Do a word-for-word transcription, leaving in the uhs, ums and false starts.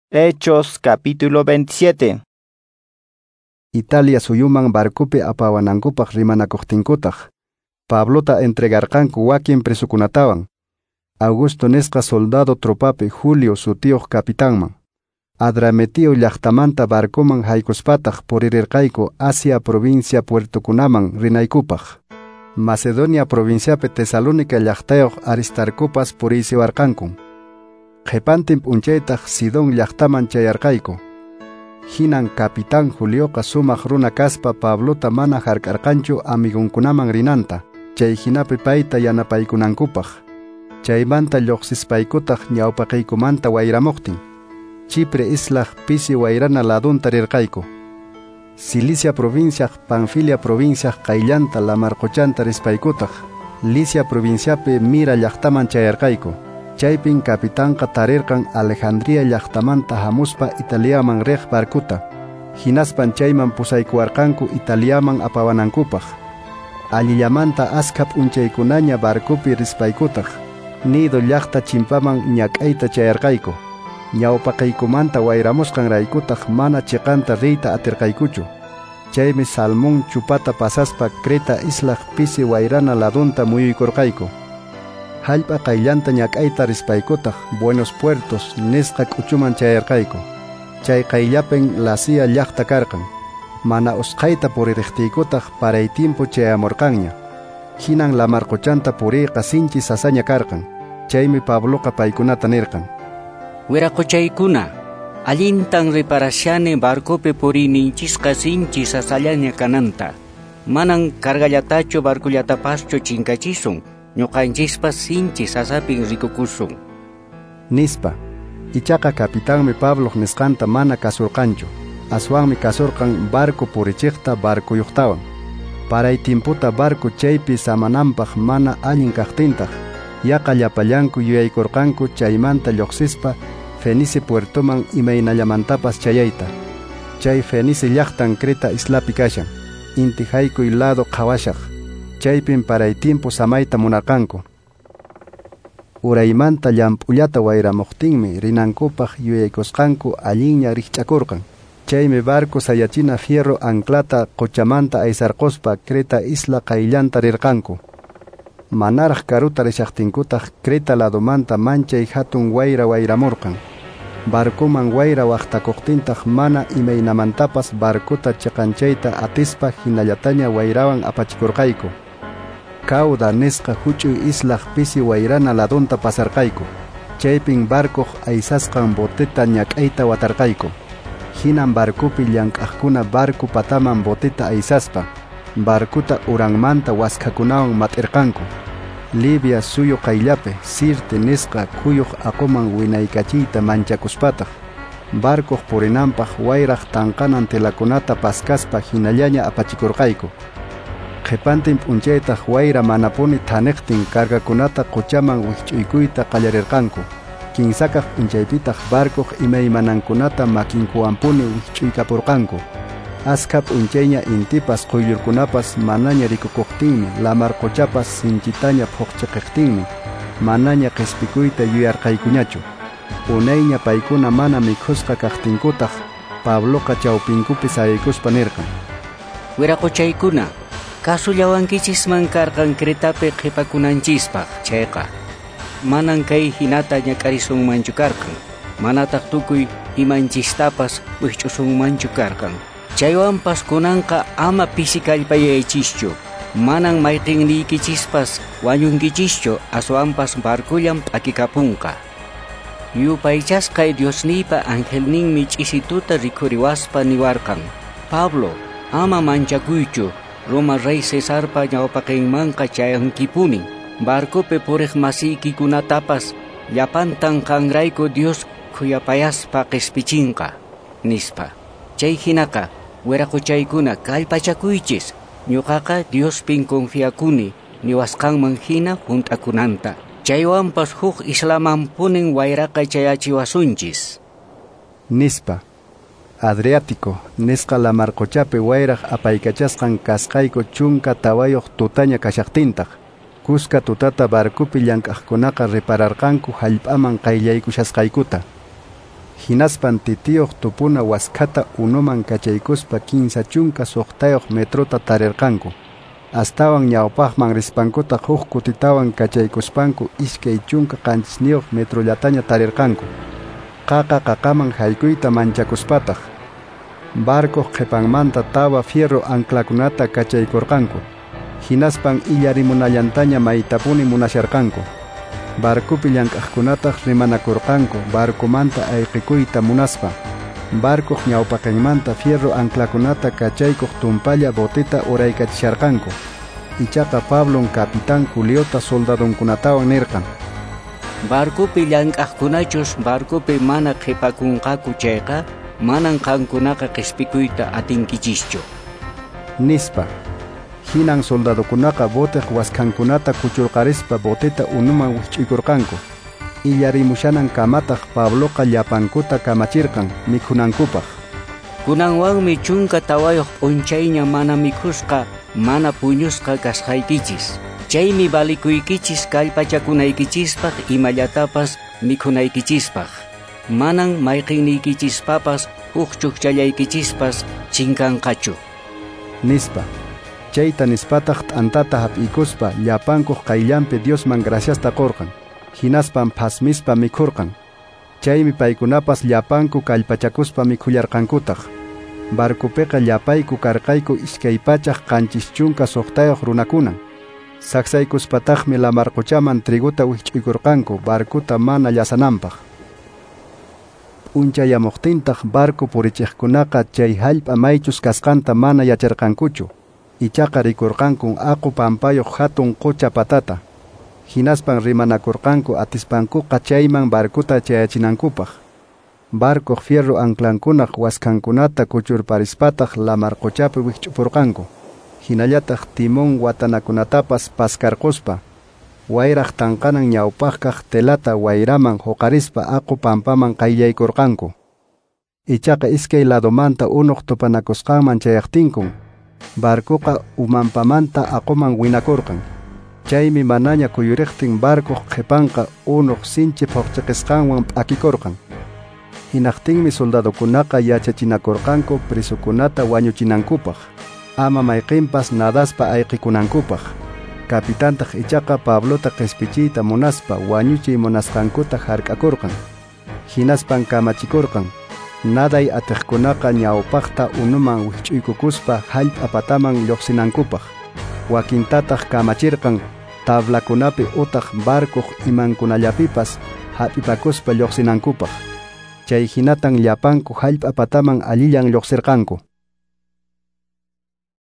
Hechos capítulo veintisiete. Italia suyuman barcopi apawanankupaq rimanakuqtinkutaq, Pablota entregarqanku wakin presokunatawan, Augusto nisqa soldado tropapi Julio sutiyuq capitanman. Adramitio llaqtamanta barcoman haykuspataq puririrqayku Asia provincia puertokunaman rinaykupaq. Macedonia provinciapi Tesalónica llaqtayuq Aristarcopas puriysiwarqanku. Qhipantin p'unchaytaq Sidón llaqtaman chayarqayku. Hinan capitán Julioqa sumaq runa kaspa Pablota mana hark'arqanchu amigunkunaman rinanta, chay hinapi payta yanapaykunankupaq. Chaymanta lluqsispaykutaq ñawpaqaykumanta wayramuqtin, Chipre islaq pisi wayrana ladunta rirqayku. Cilicia provinciaq Panfilia provinciaq qayllanta lamarquchanta rispaykutaq, Licia provinciapi Mira llaqtaman chayarqayku. Chaypin capitanqa tarirqan Alejandría llaqtamanta hamuspa Italiaman riq barcuta. Hinaspan chayman pusaykuwarqanku Italiaman apawanankupaq. Allillamanta askha p'unchaykunaña barcopi rispaykutaq, Nido llaqta chimpaman ñak'ayta chayarqayku. Ñawpaqaykumanta wayramusqanraykutaq mana chiqanta riyta atirqaykuchu. Chaymi Salmón chupata pasaspa Creta islaq pisi wayrana ladunta muyuykurqayku. Hallp'a qayllanta ñak'ayta rispaykutaq Buenos Puertos nisqa k'uchuman chayarqayku. Chay qayllapin Lasea llaqta karqan. Mana usqhayta puririqtiykutaq paray timpu chayamurqanña. Hinan lamarquchanta puriyqa sinchi sasaña karqan. Chaymi Pabloqa paykunata nirqan: Wiraquchaykuna, allintan reparashani barcopi puriyninchisqa sinchi sasallaña kananta. Manan cargallatachu barcullatapaschu chinkachisun, ñuqanchispas sinchi sasapin rikukusun. Nispa. Ichaqa capitanmi Pabloq nisqanta mana kasurqanchu. Aswanmi kasurqan barco purichiqta barcuyuqtawan. Paray timputa barco chaypi samananpaq mana allin kaqtintaq, yaqa llapallanku yuyaykurqanku chaymanta lluqsispa Fenice puertoman imaynallamantapas chayayta. Chay Fenice llaqtan Creta islapi kashan, inti haykuy lado qhawashaq. Chaypin paray timpu samayta munarqanku. Uraymanta llamp'ullata wayramuqtinmi rinankupaq yuyaykusqanku allinña rikch'akurqan. Chaymi barco sayachina fierro anclata quchamanta aysarquspa Creta isla qayllanta rirqanku. Manaraq karuta rishaqtinkutaq Creta ladomanta manchay hatun wayra wayramurqan. Barcoman wayra waqtakuqtintaq mana imaynamantapas barcota chiqanchayta atispa hinallataña wayrawan apachikurqayku. Cauda nisqa huch'uy islaq pisi wayrana ladunta pasarqayku. Chaypin barcoq aysasqan boteta ñak'ayta watarqayku. Hinan barcopi llank'aqkuna barco pataman boteta aysaspa, barcota uranmanta waskhakunawan mat'irqanku. Libia suyu qayllapi Sirte nisqa khuyuq aquman winaykachiyta manchakuspataq, barcoq purinanpaq wayraq tanqanan telakunata paskaspa hinallaña apachikurqayku. Qhipantin p'unchaytaq wayra manapuni thaniqtin cargakunata quchaman wikch'uykuyta qallarirqanku. Kinsakaq p'unchaypitaq barcoq imaymanankunata makinkuwanpuni wikch'uykapurqanku. Askha p'unchayña intipas quyllurkunapas manaña rikukuqtinmi, lamarquchapas sinchitaña phuqchiqiqtinmi, manaña qispikuyta yuyarqaykuñachu. Unayña paykuna mana mikhusqa kaqtinkutaq, Pabloqa chawpinkupi sayaykuspa nirqan: Wiraquchaykuna, kasullawankichisman karqan Cretapi qhipakunanchispaq chayqa, manan kay hinata ñak'arisunmanchu karqan, manataq tukuy imanchistapas wikch'usunmanchu karqan. Chaywanpas kunanqa ama pisi kallpayaychischu, manan mayqinniykichispas wañunkichischu, aswanpas barcullan p'akikapunqa. Yupaychasqay Diosniypa angelninmi ch'isituta rikhuriwaspa niwarqan: Pablo, ama manchakuychu, Roma rey Cesarpa ñawpaqinmanqa chayankipuni. Barcopi puriq masiykikunatapas llapantan qanrayku Dios khuyapayaspa qispichinqa, nispa. Chay hinaqa, wiraquchaykuna, kallpachakuychis, ñuqaqa Diospin confiakuni niwasqanman hina hunt'akunanta. Chaywanpas huk islamanpunin wayraqa chayachiwasunchis, nispa. Adriático nisqa lamarquchapi wayraq apaykachasqan kasqayku chunka tawayuq tutaña kashaqtintaq, kuska tutata barcopi llank'aqkunaqa repararqanku hallp'aman qayllaykushasqaykuta. Hinaspan titiyuq tupuna waskhata unuman kachaykuspa kinsa chunka suqtayuq metrota tarirqanku. Astawan ñawpaqman rispankutaq huk kutitawan kachaykuspanku iskay chunka qanchisniyuq metrollataña tarirqanku. Qaqa qaqaman haykuyta manchakuspataq barcoq qhipanmanta tawa fierro anclakunata kachaykurqanku. Hinaspan illarimunallantaña maytapuni munasharqanku. Barcopi llank'aqkunataq rimanakurqanku barcomanta ayqikuyta munaspa. Barcoq ñawpaqinmanta fierro anclakunata kachaykuq tumpalla boteta uraykachisharqanku. Ichaqa Pablon capitán Juliota soldadonkunatawan nirqan: Barcopi llank'aqkunachus barcopi mana qhipakunqaku chayqa, manan qankunaqa qhispikuyta atinkichischu, nispa. Hinan soldadokunaqa boteq waskhankunata kuchurqarispa boteta unuman wikch'uykurqanku. Illarimushanan kamataq Pabloqa llapankuta kamachirqan mikhunankupaq. Kunanwanmi chunka tawayuq p'unchayña mana mikhusqa, mana puñusqa kasqaykichis. Chaymi valikuykichis kallpachakunaykichispaq imallatapas mikhunaykichispaq. Manan mayqinniykichishpapas huk chukchallaykichispas chinkanqachu, nispa. Chayta nispataq t'antata hap'ikuspa llapankuq qayllanpi Diosman graciasta qurqan. Hinaspan phasmispa mikhurqan. Chaymi paykunapas llapanku kallpachakuspa mikhullarqankutaq. Barcopiqa llapayku karqayku iskay pachaq qanchis chunka suqtayuq runakunan. Saksaykuspataqmi lamarquchaman triguta wikch'uykurqanku barcota mana llasananpaq. P'unchayamuqtintaq barco purichiqkunaqa chay hallp'a maychus kasqanta mana yacharqankuchu. Ichaqa rikurqankun aqu pampayuq hatun qucha patata. Hinaspan rimanakurqanku atispankuqa chayman barcota chayachinankupaq. Barcoq fierro anclankunaq waskhankunata kuchurparispataq lamarquchapi wikch'upurqanku. Hinallataq timón watanakunatapas paskarquspa wayraq tanqanan ñawpaqkaq telata wayraman huqarispa aqu pampaman qayllaykurqanku. Ichaqa iskay ladomanta unuq tupanakusqanman chayaqtinkun barcoqa umanpamanta aquman winakurqan. Chaymi manaña kuyuriqtin barcoq qhipanqa unuq sinchi phuqchiqisqanwan p'akikurqan. Hinaqtinmi soldadokunaqa yachachinakurqanku prisukunata wañuchinankupaq, ama mayqinpas nadaspa ayqikunankupaq. Capitantaq ichaqa Pablota qispichiyta munaspa wañuchiy munasqankuta hark'akurqan. Hinaspan kamachikurqan naday atiqkunaqa ñawpaqta unuman wikch'uykukuspa hallp'a pataman lluqsinankupaq. Wakintataq kamachirqan tablakunapi utaq barcoq imankunallapipas hap'ipakuspa lluqsinankupaq. Chay hinatan llapanku hallp'a pataman allillan lluqsirqanku.